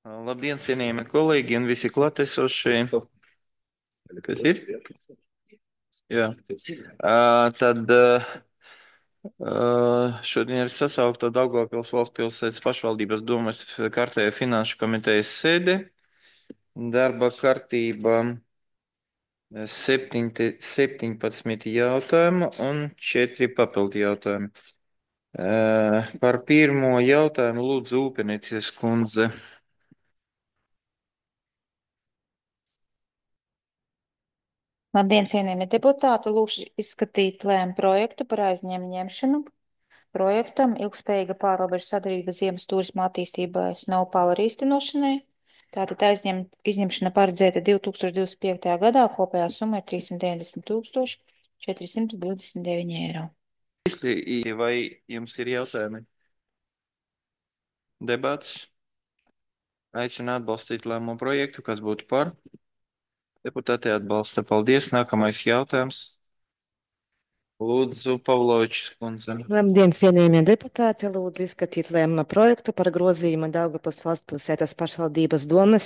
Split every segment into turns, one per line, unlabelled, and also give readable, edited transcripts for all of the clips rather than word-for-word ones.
Labdien, cienījami kolēģi un visi klātesošie. Kas ir? Jā. Tad šodien ir sasaukta Daugavpils valsts pilsētas pašvaldības domas kārtējā finanšu komitejas sēde. Darba kārtība 17 jautājumu un 4 papildu jautājumu. Par pirmo jautājumu lūdzu Ūpenieces kundze.
Labdien, cienījamie deputāti! Lūkšu izskatīt lēmumu projektu par aizņēmumu ņemšanu projektam ilgspējīga pārrobežu sadarbība ziemas turisma attīstībai Snow Power īstenošanai. Tātad izņemšana paredzēta 2025. gadā, kopējā summa ir 390 429 eiro.
Vai jums ir jautājumi? Debats? Aicinu atbalstīt lēmumu projektu, kas būtu par. Deputāti atbalsta. Paldies. Nākamais jautājums. Lūdzu, Pavlovičs kundze.
Labdien, cienījamie deputāti! Lūdzu izskatīt lēmuma projektu par grozījumu Daugavpils valsts pilsētas pašvaldības domes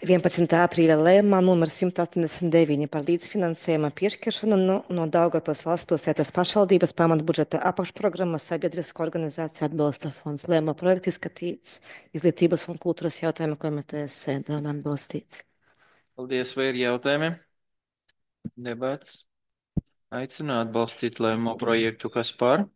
11. aprīļa lēmumā numur 189 par līdzfinansējuma piešķiršanu no Daugavpils valsts pilsētas pašvaldības pamatbudžeta apakšprogrammas Sabiedrisko organizāciju atbalsta fonds. Lēmuma projekts izskatīts Izglītības un kultūras jautājumu komitejas sēdē un atbalstīts.
Paldies. Vai ir jautājumi? Debats. Aicinu atbalstīt lēmumu projektu, kas par.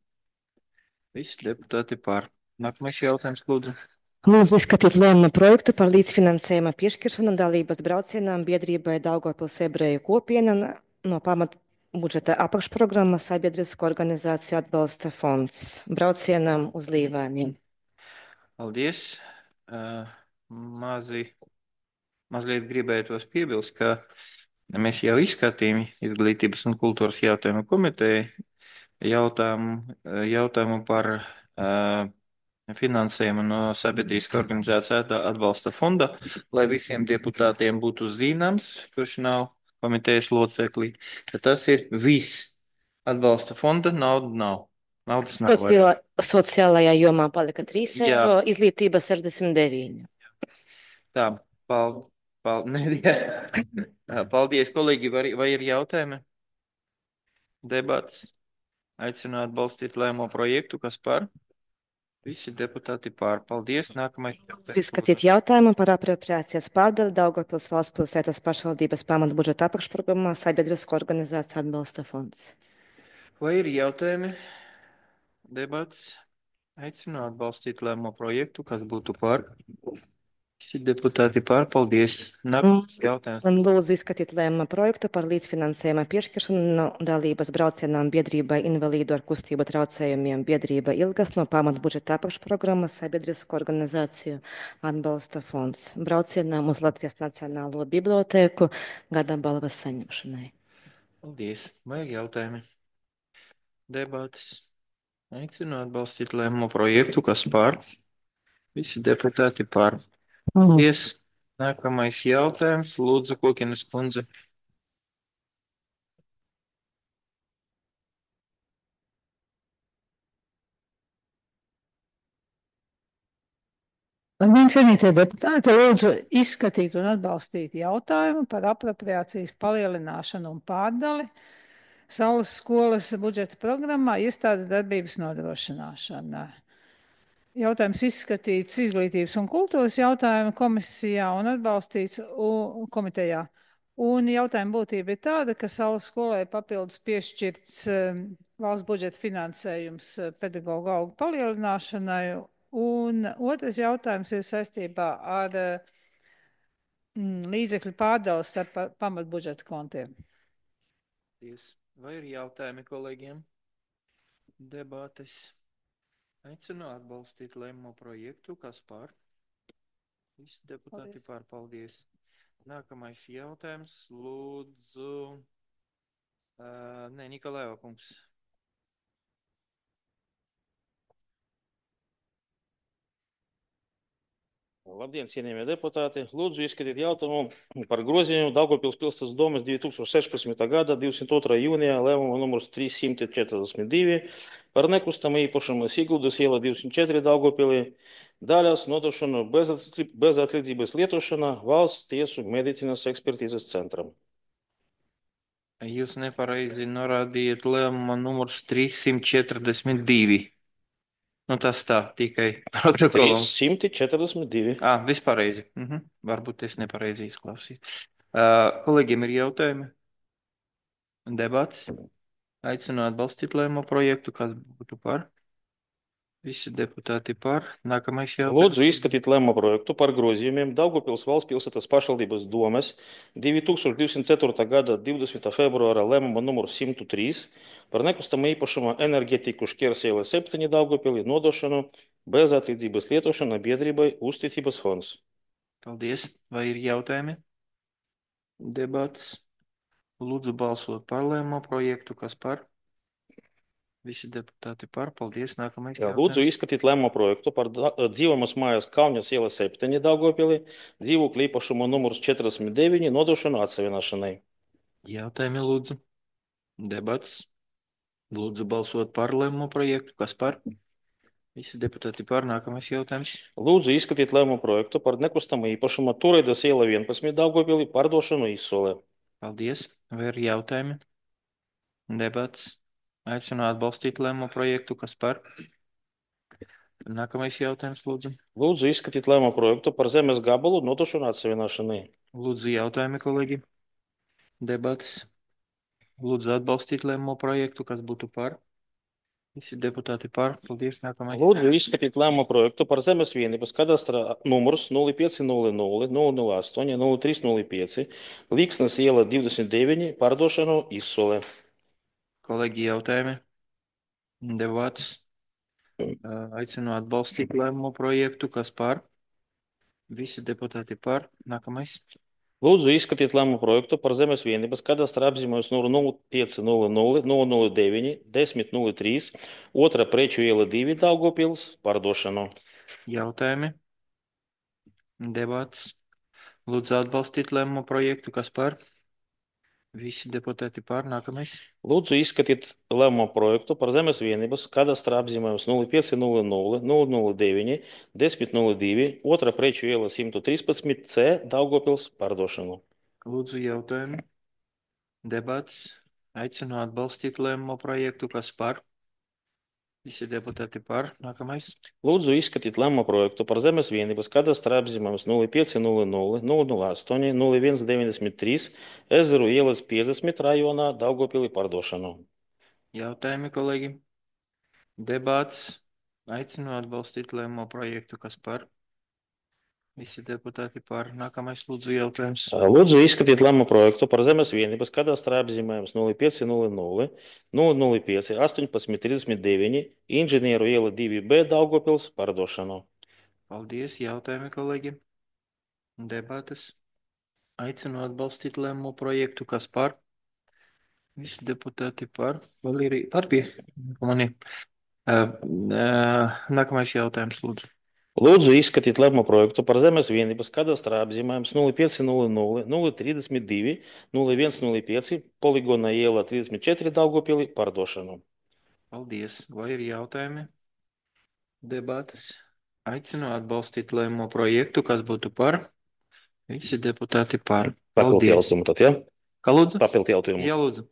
Visi deputāti par. Nākamais jautājums, lūdzu.
Lūdzu izskatīt lēmuma projektu par līdzfinansējuma piešķiršanu dalības braucienām biedrībai Daugavpils ebreju kopiena no pamatbudžeta apakšprogrammas Sabiedrisko organizāciju atbalsta fonds braucienām uz Līvēniem.
Paldies. Mazliet gribētos piebilst, ka mēs jau izskatījām Izglītības un kultūras jautājumu komiteju jautājumu par finansējumu no Sabiedriskā organizācija atbalsta fonda, lai visiem deputātiem būtu zināms, kurš nav komitejas locekli, ka tas ir viss atbalsta fonda, nauda nav. Naudas nav.
Sociālajā jomā palika 3
Jā.
eiro, izglītība 69.
Tā, paldies, kolēģi, vai ir jautājumi? Debats. Aicinu atbalstīt lēmumu projektu, kas par. Visi deputāti pār. Paldies. Nākamais.
Izskatīt jautājumu par apropriācijas pārdali Daugavpils valsts pilsētas pašvaldības pamatbudžeta apakšprogrammā Sabiedrisko organizāciju atbalsta fonds.
Vai ir jautājumi? Debats. Aicinu atbalstīt lēmumu projektu, kas būtu par. Visi deputāti pār. Paldies. Nākamais jautājums.
Lūdzu izskatīt lēmuma projektu par līdzfinansējuma piešķiršanu no dalības braucienām biedrībai invalīdu ar kustību traucējumiem biedrība Ilgas no pamatbudžeta apakšprogrammas Sabiedrisko organizāciju atbalsta fonds braucienām uz Latvijas Nacionālo bibliotēku gada balvas saņemšanai.
Paldies. Vai ir jautājumi? Debates. Aicinu atbalstīt lēmumu projektu, kas par. Visi deputāti par. Paldies. Nākamais jautājums. Lūdzu, Kokienes kundze.
Labdien, cienītie deputāti! Lūdzu izskatīt un atbalstīt jautājumu par apropriācijas palielināšanu un pārdali Saules skolas budžeta programmā iestādes darbības nodrošināšana. Jautājums izskatīts Izglītības un kultūras jautājumu komisijā un atbalstīts komitejā. Un jautājuma būtība ir tāda, ka Saules skolai papildus piešķirts valsts budžeta finansējums pedagoģu algu palielināšanai. Un otrs jautājums ir saistībā ar līdzekļu pārdalas starp pamatbudžeta kontiem.
Vai ir jautājumi kolēģiem? Debates. Aicinu atbalstīt lēmumu projektu, kas par. Visi deputāti par. Paldies. Nākamais jautājums. Lūdzu. Nikolaiva kungs.
Labdien, cienījamie deputāti! Lūdzu, izskatīt jautājumu par grozījumu Daugavpils pilsētas domes 2016. gada 22. jūnijā lēmuma numurs 342 par nekustamu īpašumu Siguldas iela 204 Daugavpilī daļās nodošanu bezatlīdzības lietošanā valsts tiesu medicīnas ekspertīzes centram.
Jūs nepareizi norādījāt lēmuma numurs 342. Nu, tas tā, tikai protokolam.
342.
Vispareizi. Varbūt es nepareizi izklausīju. Kolēģiem ir jautājumi? Debats? Aicinu atbalstīt lēmumu projektu, kas būtu par? Visi deputāti par. Nākamais jautājums.
Lūdzu, izskatīt lēmumu projektu par grozījumiem Daugavpils valsts pilsētas pašvaldības domes 2204. gada 20. februāra lēmuma numuru 103 par nekustamu īpašumu enerģetiku Šķersiela 7 Daugavpilī nodošanu bezatlīdzības lietošana biedrībai Uzticības fonds.
Paldies. Vai ir jautājumi? Debats. Lūdzu balsot par lēmumu projektu, kas par? Visi deputāti par. Paldies. Nākamais jautājums.
Lūdzu, izskatīt lēmumu projektu par dzīvojamas mājas Kauņas iela 7 Daugavpilī, dzīvokļu īpašumu numurs 49 nodošanu atsevienošanai.
Jautājumi lūdzu. Debats. Lūdzu balsot par lēmumu projektu, kas par? Visi deputāti par. Nākamais jautājums.
Lūdzu, izskatīt lēmumu projektu par nekustamu īpašumu Tureidas iela 11 Daugavpilī pārdošanu izsolē.
Paldies. Vai ir jautājumi? Debats. Aicinu atbalstīt lēmumu projektu, kas par? Nākamais jautājums, lūdzu.
Lūdzu, izskatīt lēmumu projektu par zemes gabalu nodošanu atsevienošanai.
Lūdzu, jautājumi, kolēģi. Debats. Lūdzu, atbalstīt lēmumu projektu, kas būtu par? Visi deputāti par. Paldies. Nākamais.
Lūdzu, izskatīt lēmumu projektu par zemes vienības kadastra numurs 0500 008 0305 Līksnes iela 29 pārdošanu izsolē.
Kolēģi, jautājumi. Debats. Aicinu atbalstīt lēmumu projektu, kas par? Visi deputāti par. Nākamais.
Lūdzu, izskatīt lēmumu projektu par zemes vienības kadastra apzīmējums numuru 0500 009 1003 2. preču iela 2 Daugavpils pārdošanu.
Jautājumi. Debats. Lūdzu atbalstīt lēmumu projektu, kas par? Visi deputāti par. Nākamais.
Lūdzu, izskatīt lēmumu projektu par zemes vienības kadastra apzīmējums 0500 009 1002 2. preču iela 113 C Daugavpils pārdošanu.
Lūdzu, jautājumi. Debats. Aicinu atbalstīt lēmumu projektu, kas par? Visi deputāti par. Nākamais.
Lūdzu, izskatīt lēmumu projektu par zemes vienības kadastra apzīmējums 0500 008 0193 Ezeru ielas 50 rajonā Daugavpilī pārdošanu.
Jautājumi, kolēģi. Debats. Aicinu atbalstīt lēmumu projektu, kas par? Visi deputāti par. Nākamais, lūdzu, jautājums.
Lūdzu, izskatīt lēmumu projektu par zemes vienības kadastra apzīmējums 0500 005 1839 Inženieru iela 2B Daugavpils pārdošanu.
Paldies. Jautājumi, kolēģi. Debates. Aicinu atbalstīt lēmumu projektu, kas par? Visi deputāti par. Vēl ir par pie mani. Nākamais jautājums, lūdzu.
Lūdzu, izskatīt lēmumu projektu par zemes vienības kadastra apzīmējums 0500 032 0105 Poligona iela 34 Daugavpilī pārdošanu.
Paldies. Vai ir jautājumi? Debates. Aicinu atbalstīt lēmumu projektu, kas būtu par? Visi deputāti par.
Papildu jautājumu tad, ja?
Kā lūdzu?
Papildu jautājumu.
Jā, lūdzu.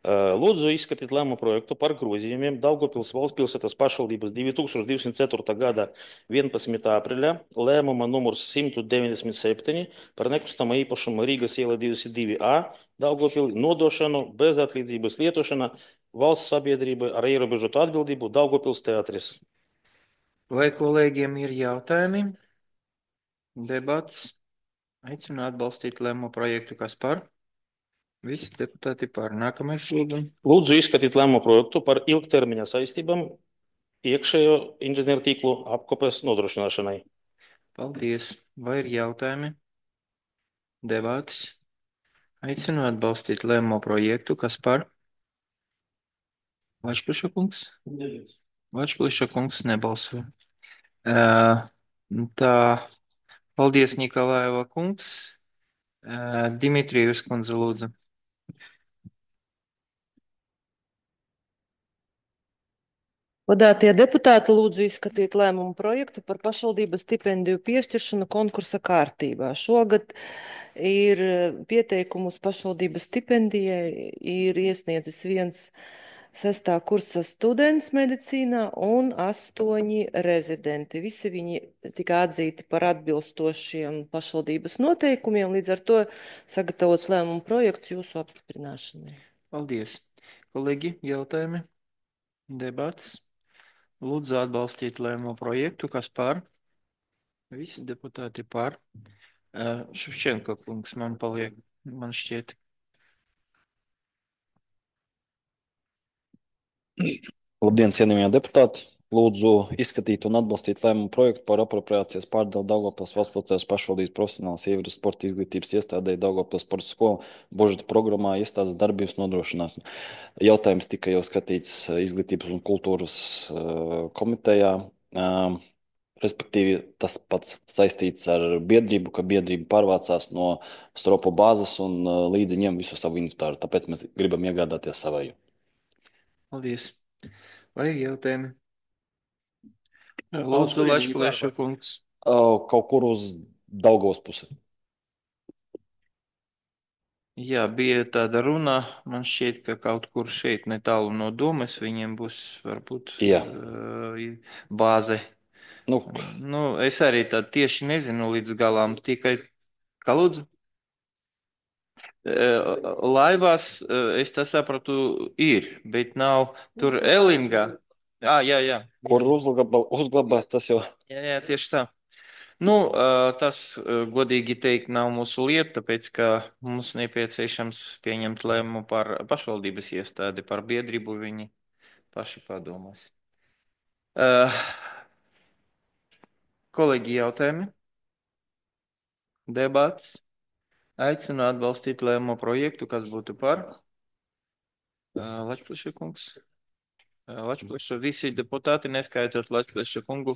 Lūdzu, izskatīt lēmumu projektu par grozījumiem Daugavpils valsts pilsētas pašvaldības 2204. gada 11. aprīļa lēmuma numurs 197 par nekustamo īpašumu Rīgas iela 22A Daugavpilī nodošanu bezatlīdzības lietošana valsts sabiedrībai ar ierobežotu atbildību Daugavpils teatris.
Vai kolēģiem ir jautājumi? Debats. Aicinu atbalstīt lēmumu projektu, kas par? Visi deputāti par. Nākamais, lūdzu.
Lūdzu, izskatīt lēmumu projektu par ilgtermiņa saistībām iekšējo inženieru tīklu apkopes nodrošināšanai.
Paldies. Vai ir jautājumi? Debats. Aicinu atbalstīt lēmumu projektu, kas par? Vačpliša kungs? Vačpliša kungs nebalso. Tā, Paldies, Nikolaiva kungs. Dimitrijus kundze, lūdzu.
Godātie deputāti, lūdzu izskatīt lēmumu projektu par pašvaldības stipendiju piešķiršanu konkursa kārtībā. Šogad ir pieteikumus pašvaldības stipendijai ir iesniedzis viens 6. kursa students medicīnā un 8 rezidenti. Visi viņi tika atzīti par atbilstošiem pašvaldības noteikumiem, līdz ar to sagatavots lēmumu projekts jūsu apstiprināšanai.
Paldies. Kolēģi, jautājumi? Debats? Lūdzu atbalstīt lēmumu projektu. Kas par? Visi deputāti par. Ševčenko kungs man paliek, man šķiet.
Labdien, cienījamie deputāti! Lūdzu izskatīt un atbalstīt lēmumu projektu par apropriācijas pārdalu Daugavpils Valsts pašvaldības profesionālas sievietes sporta izglītības iestādei Daugavpils sporta skola budžeta programmā iestādes darbības nodrošināšana. Jautājums tika jau skatīts izglītības un kultūras komitejā. Respektīvi, tas pats saistīts ar biedrību, ka biedrība pārvācās no stropu bāzes un līdzi ņem visu savu inventāru. Tāpēc mēs gribam iegādāties savēju.
Paldies. Vai jautājumi? Lūdzu, Lašplēša kungs.
Kaut kur uz Daugavas pusi.
Jā, bija tāda runa. Man šķiet, ka kaut kur šeit netālu no domas viņiem būs varbūt
Jā.
bāze.
Nu,
Es arī tā tieši nezinu līdz galām, tikai, kā lūdzu? Laivās, es tā sapratu, ir, bet nav tur Elingā. Jā.
kur uzglabās, tas jau.
Jā, tieši tā. Tas, godīgi teikt, nav mūsu lieta, tāpēc, ka mums nepieciešams pieņemt lēmumu par pašvaldības iestādi, par biedrību viņi paši padomās. Kolēģi, jautājumi? Debats? Aicinu atbalstīt lēmumu projektu, kas būtu par. Lačplēša kungs. Lačplēša visi deputāti, neskaitot Lačplēša kungu,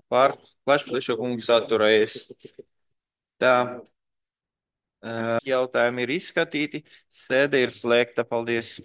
par Lačplēša kungu saturējies. Tā. Jautājumi ir izskatīti. Sēde ir slēgta. Paldies.